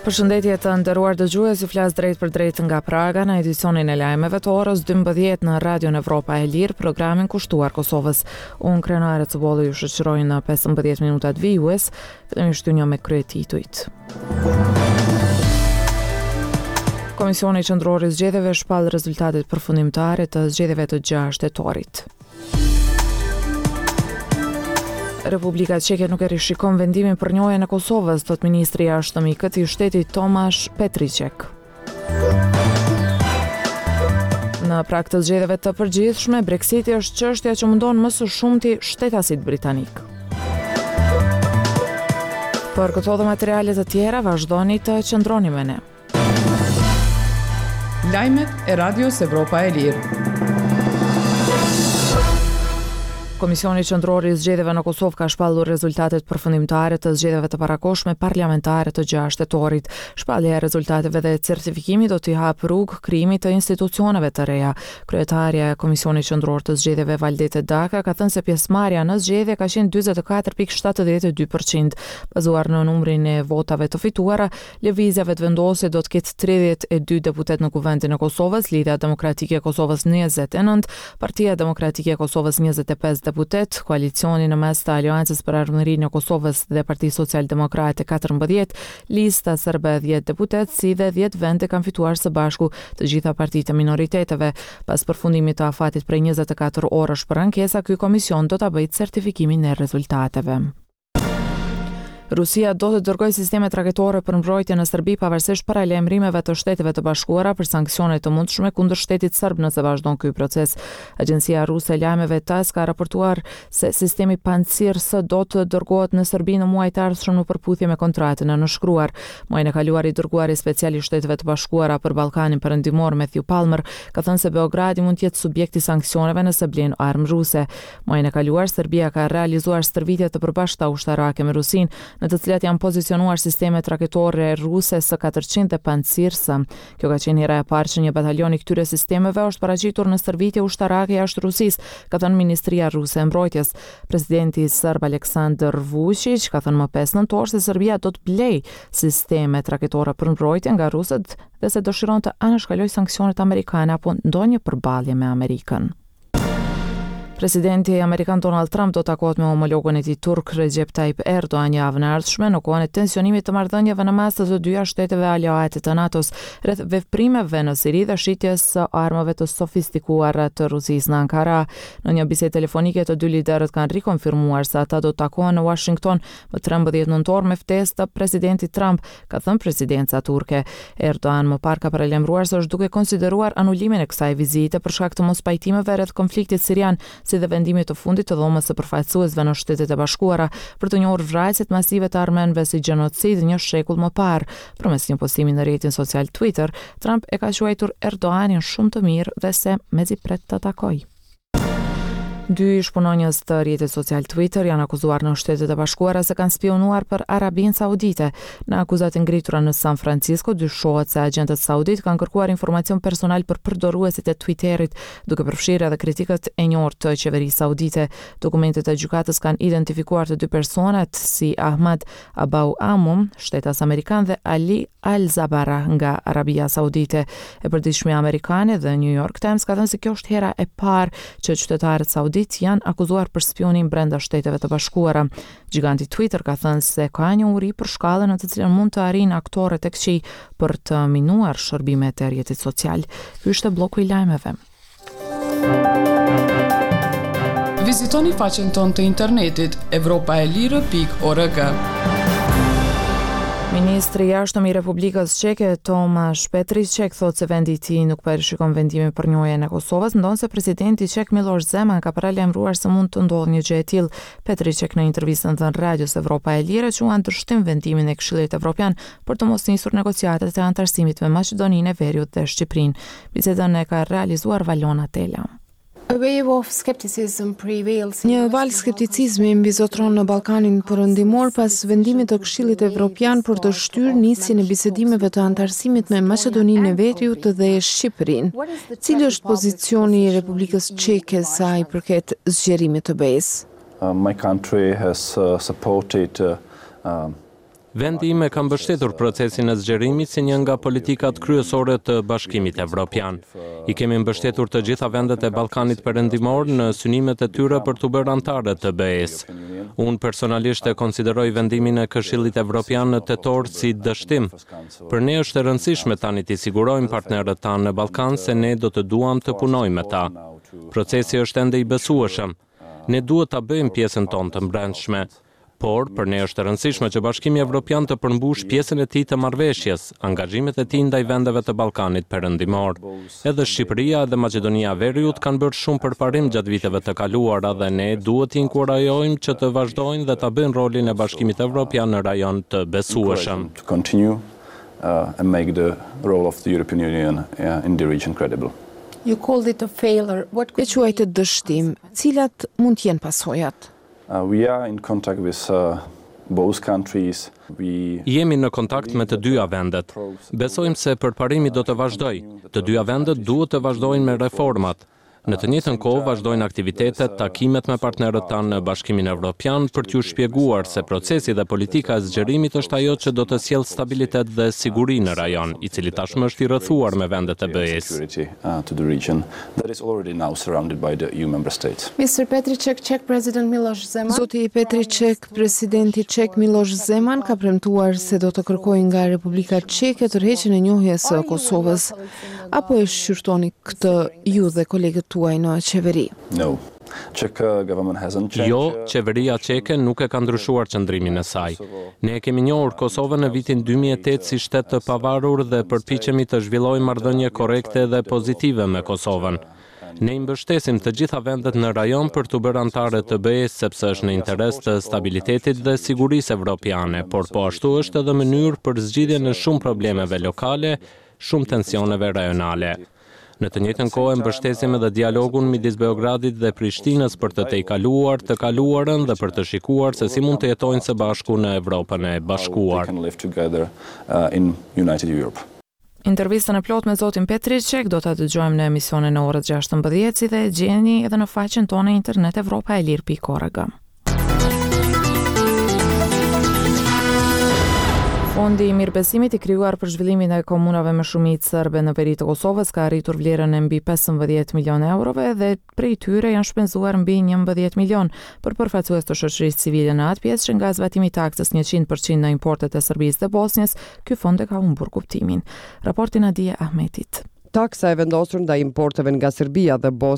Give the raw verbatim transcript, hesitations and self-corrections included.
Përshëndetje, të nderuar dëgjues, ju flas drejt për drejt nga Praga në edicionin e lajmeve të orës dymbëdhjetë në Radion Evropa e Lirë, programin kushtuar Kosovës. Unë, Krenare Cëbolli, ju shoqëroj në pesëmbëdhjetë minutat vijues, fillimisht ju njoh me kryetitujt. Komisioni Qendror i Zgjedhjeve shpall rezultatet përfundimtare të zgjedhjeve të gjashtë tetorit. Republika Çeke nuk e rishikon vendimin për njohjen e Kosovës, thot ministri i Jashtëm i këtij shteti Tomasz Petriček. Në prag të zgjedhjeve të përgjithshme, Brexiti është çështja që mundon më së shumti shtetasit britanik. Për këto dhe materiale të tjera, vazhdoni të qëndroni me ne. Lajmet e Radios Evropa e Lirë. Komisioni Qendror i Zgjedhjeve në Kosovë ka shpallur rezultatet përfundimtare të zgjedhjeve të parakohshme parlamentare të gjashtë tetorit. Shpallja e rezultateve dhe certifikimi do t'i hapë rrugë krijimit të institucioneve të reja. Kryetarja e Komisionit Qendror të Zgjedhjeve, Valdete Daka, ka thënë se pjesëmarrja në zgjedhje ka qenë dyzet e katër pikë shtatëdhjetë e dy përqind. Bazuar në numrin e votave të fituara, Lëvizja Vetëvendosje do të ketë tridhjetë e dy deputet në Kuvendin e Kosovës, Lidhja Demokratike e Kosovës njëzet e nëntë, Partia Demokratike e Kosovës njëzet e pesë deputet, koalicioni në mes të Aleancës për Ardhmërinë e Kosovës dhe Partisë Social Demokrate katërmbëdhjetë, Lista Serbe dhjetë deputet, si dhe dhjetë vende kanë fituar së bashku të gjitha partitë e minoriteteve. Pas përfundimit të afatit prej njëzet e katër orësh për ankesa, ky komision do ta bëjë certifikimin e rezultateve. Rusia do të dërgojë sistemet raketore për mbrojtje në Serbi pavarësisht paralajmërimeve të Shteteve të Bashkuara për sanksione të mundshme kundër shtetit serb nëse vazhdon ky proces. Agjencia ruse e lajmeve TASS ka raportuar se sistemi Pantsir S do të dërgohet në Serbi në muajt e ardhshëm në përputhje me kontratën e nënshkruar. Muajin e kaluar i dërguari special i Shteteve të Bashkuara për Ballkanin Perëndimor Matthew Palmer ka thënë se Beogradi mund të jetë subjekt i sanksioneve nëse blen armë ruse. Muajin e kaluar Serbia ka realizuar stërvitje të përbashkëta ushtarake me Rusinë, në të cilat janë pozicionuar sistemet raketore ruse S katërqind dhe Pantsir S. Kjo ka qenë hera e parë që një batalion i këtyre sistemeve është paraqitur në stërvitje ushtarake jashtë Rusisë, ka thënë Ministria Ruse e Mbrojtjes. Presidenti serb Aleksandar Vučić ka thënë më pesë nëntor se Serbia do të blejë sistemet raketore për mbrojtje nga rusët dhe se dëshiron të anashkalojë sanksionet amerikane apo ndonjë përballje me Amerikën. Presidenti amerikan Donald Trump do takohet me homologun e tij turk Recep Tayyip Erdogan javën e ardhshme në kohën e tensionimit të marrëdhënieve në mes të të dyja shteteve aleate të NATO-s rreth veprimeve në Siri dhe shitjes së armëve të sofistikuara të Rusisë në Ankara. Në një bisedë telefonike të dy liderët kanë rikonfirmuar se ata do të takohen në Washington më trembëdhjetë nëntor me ftesë të presidentit Trump, ka thënë presidenca turke. Erdogan më parë ka paralajmëruar se është duke konsideruar anulimin e kësaj vizite për shkak të mospajtimeve rreth konfliktit sirian, si dhe vendimit të fundit të dhomës së përfaqësuesve në Shtetet e Bashkuara për të njohur vrasjet masive të armenëve si gjenocid një shekull më parë. Përmes një postimi në rrjetin social Twitter, Trump e ka quajtur Erdoganin shumë të mirë dhe se mezi pret ta takojë. Dy ish punonjës të rrjetit social Twitter janë akuzuar në Shtetet e Bashkuara se kanë spionuar për Arabinë Saudite. Në akuzat e ngritura në San Francisco dyshohet se agjentët saudit kanë kërkuar informacion personal për përdoruesit e Twitterit, duke përfshirë edhe kritikët e njohur të qeverisë saudite. Dokumentet e gjykatës kanë identifikuar të dy personat si Ahmad Abou Amum, shtetas amerikan, dhe Ali Al-Zabara nga Arabia Saudite. E përditshmja amerikane The New York Times ka thënë se kjo është hera e parë që qytetarët saudit janë akuzuar për spionim brenda Shteteve të Bashkuara. Giganti Twitter ka thënë se ka një uri për shkallën në të cilën mund të arrijnë aktorët e këqij për të minuar shërbimet e rrjetit social. Ky ishte bloku i lajmeve. Vizitoni faqen tonë të internetit evropa e lirë pikë org. Ministri i Jashtëm i Republikës Çeke, Tomasz Petriček, thotë se vendi i tij nuk po e rishikon vendimin për njohjen e Kosovës, ndonëse presidenti çek Miloš Zeman ka paralajmëruar se mund të ndodhë një gjë e tillë. Petriček në intervistën dhënë Radios Evropa e Lirë quan dështim vendimin e Këshillit Evropian për të mos nisur negociatat e anëtarësimit me Maqedoninë e Veriut dhe Shqipërinë. Bisedën e ka realizuar Valona Tela. A wave of skepticism prevails in Një valë skepticizmi mbizotron në Ballkanin Perëndimor pas vendimit të Këshillit Evropian për të shtyrë nisjen e bisedimeve të anëtarësimit me Maqedoninë e Veriut dhe Shqipërinë. Cili është pozicioni i Republikës Çeke sa i përket zgjerimit të B E S? Uh, my country has, uh, supported, uh, um, Vendi im e ka mbështetur procesin e zgjerimit si një nga politikat kryesore të Bashkimit Evropian. I kemi mbështetur të gjitha vendet e Ballkanit Perëndimor në synimet e tyre për t'u bërë anëtare të B E-s. Unë personalisht e konsideroj vendimin e Këshillit Evropian në tetor si dështim. Për ne është e rëndësishme tani t'i sigurojmë partnerët tanë në Ballkan se ne do të duam të punojmë me ta. Procesi është ende i besueshëm. Ne duhet ta bëjmë pjesën tonë të mbrendshme. Por, për ne është e rëndësishme që Bashkimi Evropian të përmbush pjesën e tij të marrëveshjes, angazhimet e tij ndaj vendeve të Ballkanit Perëndimor. Edhe Shqipëria edhe Maqedonia e Veriut kanë bërë shumë përparim gjatë viteve të kaluara dhe ne duhet t'i inkurajojmë që të vazhdojnë dhe ta bëjnë rolin e Bashkimit Evropian në rajon të besueshëm. To continue uh, and make the role of the European Union uh, in the region credible. You called it a failure. What E quajtë dështim. Cilat mund të jenë pasojat? Uh, we are in contact with uh, both countries. We Jemi në kontakt me të dyja vendet. Besojmë se përparimi do të vazhdojë. Të dyja vendet duhet të vazhdojnë me reformat. Në të njëjtën kohë vazhdojnë aktivitetet, takimet me partnerët tanë në Bashkimin Evropian për t'ju shpjeguar se procesi dhe politika e zgjerimit është ajo që do të sjellë stabilitet dhe siguri në rajon, i cili tashmë është i rrethuar me vendet e B E-s. Security uh, to the region that is already now surrounded by the E U member states. Mister Petricek, Czech President Miloš Zeman. Zoti Petricek, presidenti çek Miloš Zeman ka premtuar se do të kërkojë nga Republika Çeke tërheqjen e njohjes së Kosovës. Apo e shqyrtoni këtë ju dhe kolegët tuaj në qeveri? No. Czech uh, government hasn't changed. Jo, qeveria çeke nuk e ka ndryshuar qëndrimin e saj. Ne e kemi njohur Kosovën në vitin dy mijë e tetë si shtet të pavarur dhe përpiqemi të zhvillojmë marrëdhënie korrekte dhe pozitive me Kosovën. Ne i mbështesim të gjitha vendet në rajon për të bërë anëtare të B E-s, sepse është në interes të stabilitetit dhe sigurisë evropiane, por po ashtu është edhe mënyrë për zgjidhjen e shumë problemeve lokale, shumë tensioneve rajonale. Në të njëjtën kohë mbështesim edhe dialogun midis Beogradit dhe Prishtinës për të tejkaluar të kaluarën dhe për të shikuar se si mund të jetojnë së bashku në Evropën e Bashkuar. They can live together uh, in United Europe. Intervistën e plotë me zotin Petricek do ta dëgjojmë në emisionin e orës gjashtëmbëdhjetë, si dhe e gjeni edhe në faqen tonë internet evropaelire pikë org. Fondi i mirëbesimit i krijuar për zhvillimin e komunave me shumicë serbe në veri të Kosovës ka arritur vlerën e mbi pesëmbëdhjetë milion eurove dhe prej tyre janë shpenzuar mbi njëmbëdhjetë milion. Për përfaqësues të shoqërisë civile në atë pjesë, që nga zbatimi i taksës njëqind për qind në importet e Serbisë dhe Bosnjës, ky fond e ka humbur kuptimin. Raporti Nadie Ahmetit. Taksa e vendosur ndaj importeve nga Serbia dhe